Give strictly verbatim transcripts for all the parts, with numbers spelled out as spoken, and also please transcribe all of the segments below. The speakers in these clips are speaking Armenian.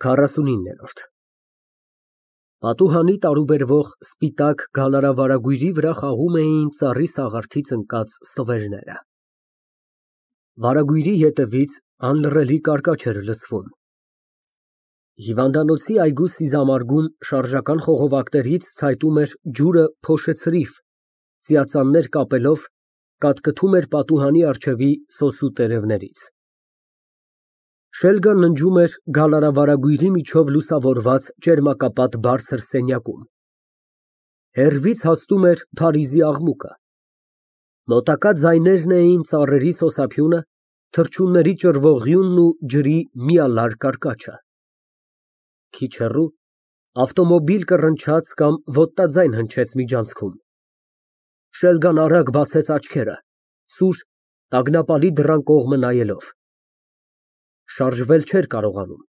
քառասունիններորդ Պատուհանի տարուբերվող սպիտակ գալարավարագույրի վրա խաղում էին ծառի սաղարթից ընկած ստվերները։ Վարագույրի ետևից անլռելի կարկաչ էր լսվում։ Հիվանդանոցի այգու սիզամարգում շարժական խողովակներից ցայտում էր ջուրը փոշեցրիվ, ծիածաններ կապելով, կատկթում էր պատուհանի առջևի սոսու տերևներից։ Շելգան ննջում էր գալարավարագույրի միջով լուսավորված ճերմակապատ բարձր սենյակում։ Հեռվից հասնում էր Փարիզի աղմուկը։ Մոտակա ձայներն էին ծառերի սոսափյունը, թռչունների ճռվողյունն ու ջրի միալար կարկաչը։ Քիչ հեռու ավտոմոբիլ կռնչաց կամ ոտնաձայն հնչեց միջանցքում։ Շելգան արագ բացեց աչքերը, սուր, տագնապալի դռան կողմը նայելով։ Շարժվել չէր կարողանում։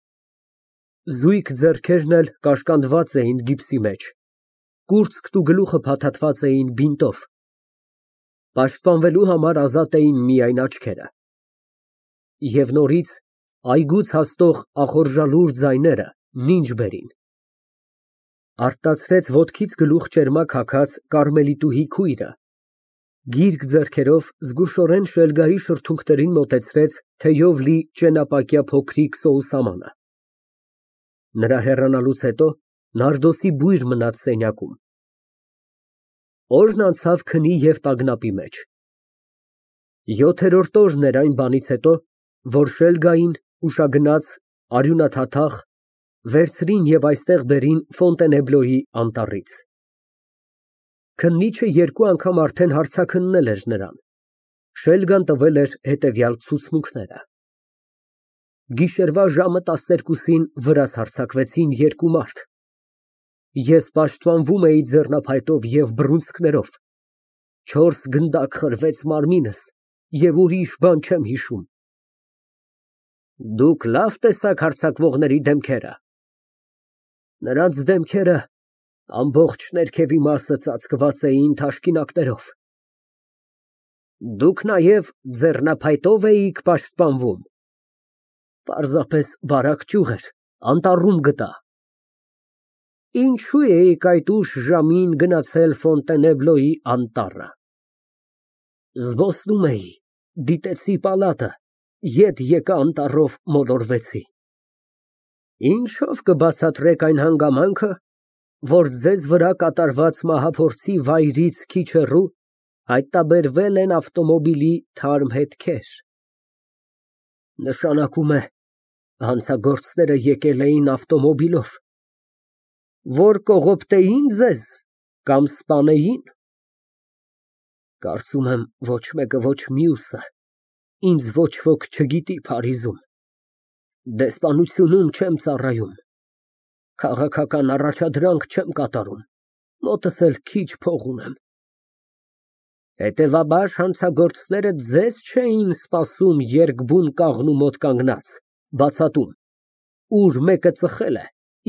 Զույգ ձեռքերն էլ կաշկանդված էին գիպսի մեջ, կուրծքն ու գլուխը փաթաթված էին բինտով։ Պաշտպանվելու համար ազատ էին միայն աչքերը։ Եվ նորից այգուց հասնող ախորժալուր ձայները նինջ բերին։ Արթնացրեց ոտքից գլուխ ճերմակ հագած կարմելիտուհի քույրը, գիրք ձեռքերով զգուշորեն Շելգայի շրթունքներին մոտեցրեց թեյով լի ճենապակյա փոքրիկ սոուսամանը։ Նրա հեռանալուց հետո նարդոսի բույր մնաց սենյակում։ Օրն անցավ քնի և տագնապի մեջ։ Յոթերորդ օրն էր այն բանից հետո, որ Շելգային ուշագնաց, արյունաթաթախ վերցրին և այստեղ բերին Ֆոնտենեբլոյի անտառից։ Քննիչը երկու անգամ արդեն հարցաքննել էր նրան։ Շելգան տվել էր հետևյալ ցուցմունքները։ Գիշերվա ժամը տասներկուսին վրաս հարձակվեցին երկու մարդ։ Ես պաշտպանվում էի ձեռնափայտով և բռունցքներով։ Չորս գնդակ խրվեց մարմինս և ուրիշ բան չեմ հիշում։ Դուք լավ տեսաք հարձակվողների դեմքերը։ Նրանց դեմքերը ամբողջ ներքևի մասը ծածկված էին թաշկինակներով։ Դուք նաև ձեռնափայտով էիք պաշտպանվում։ Պարզապես բարակ ճյուղ էր, անտառում գտա։ Ինչո՞ւ էիք այդ ուշ ժամին գնացել Ֆոնտենեբլոյի անտառը։ Զբոսնում էի, դիտեցի պալատը, ետ եկա անտառով մոլորվեցի։ Ինչո՞վ կբացատրեք այն հանգամանքը, որ ձեզ վրա կատարված մահափորձի վայրից քիչ հեռու հայտնաբերվել են ավտոմոբիլի թարմ հետքեր։ Նշանակում է, հանցագործները եկել էին ավտոմոբիլով։ Որ կողոպտեի՞ն ձեզ կամ սպանեին։ Կարծում եմ, ոչ մեկը, ոչ մյուսը ինձ ոչ ոք չգիտի Փարիզում։ Դեսպանությունում չեմ ծառայում, քաղաքական առաջադրանք չեմ կատարում, մոտս էլ քիչ փող ունեմ։ Հետևաբար հանցագործները ձեզ չէին սպասում երկբուն կաղնու մոտ կանգնած, բացատում, ուր մեկը ծխել է,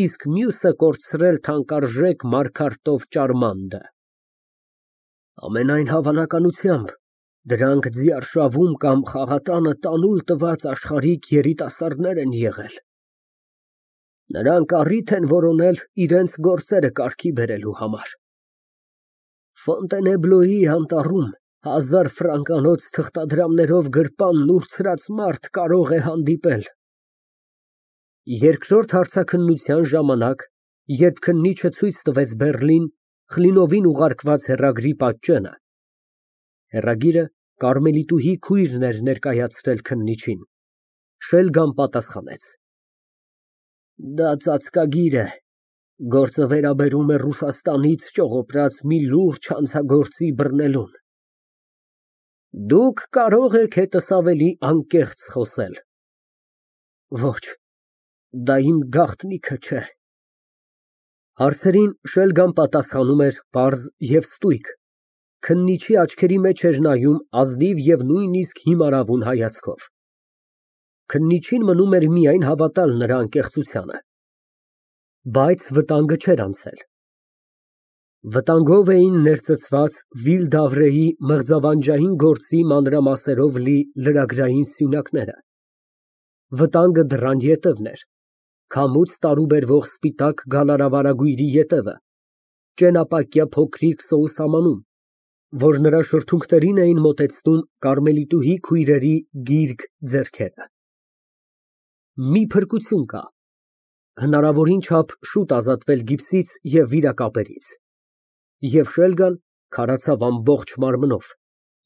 իսկ մյուսը կորցրել թանկարժեք մարգարտով ճարմանդը։ Ամենայն հավանականությամբ դրանք ձիարշավում կամ խաղատանը տանուլ տված աշխարհիկ երիտասարդներ են եղել։ Նրանք առիթ են որոնել իրենց գործերը կարգի բերելու համար։ Ֆոնտենեբլոյի անտառում հազար ֆրանկանոց թղթադրամներով գրպանն ուրցրած մարդ կարող է հանդիպել։ Երկրորդ հարցաքննության ժամանակ, երբ քննիչը ցույց տվեց Բեռլին Խլինովին ուղարկված հեռագրի պատճենը, հեռագիրը կարմելիտուհի քույրն էր ներկայացրել քննիչին, Շելգան պատասխանեց. Դա ծածկագիր է, գործը վերաբերում է Ռուսաստանից ճողոպրած մի լուրջ հանցագործի բռնելուն։ Դուք կարող եք հետս ավելի անկեղծ խոսել։ Ոչ, դա իմ գաղտնիքը չէ։ Հարցերին Շելգան պատասխանում էր պարզ և ստույգ, քննիչի աչքերի մեջ էր նայում ազնիվ և նույնիսկ հիմարավուն հայացքով։ Քննիչին մնում էր միայն հավատալ նրա անկեղծությանը։ Բայց վտանգը չէր անցել։ Վտանգով էին ներծծված Վիլ֊դավրեի մղձավանջային գործի մանրամասերով լի լրագրային սյունակները։ Վտանգը դռան ետևն էր, Քամուց տարուբերվող սպիտակ գալարավարագույրի ետևը, ճենապակյա փոքրիկ սոուսամանուն, որ նրա շրթունքներին էին մոտեցնում կարմելիտուհի քույրերի գիրկ ձեռքերը։ Մի փրկություն կա, հնարավորին չափ շուտ ազատվել գիպսից և վիրակապերից, և շելգան քարացավ ամբողջ մարմնով,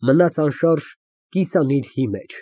մնաց անշարժ կիսանիրհի մեջ։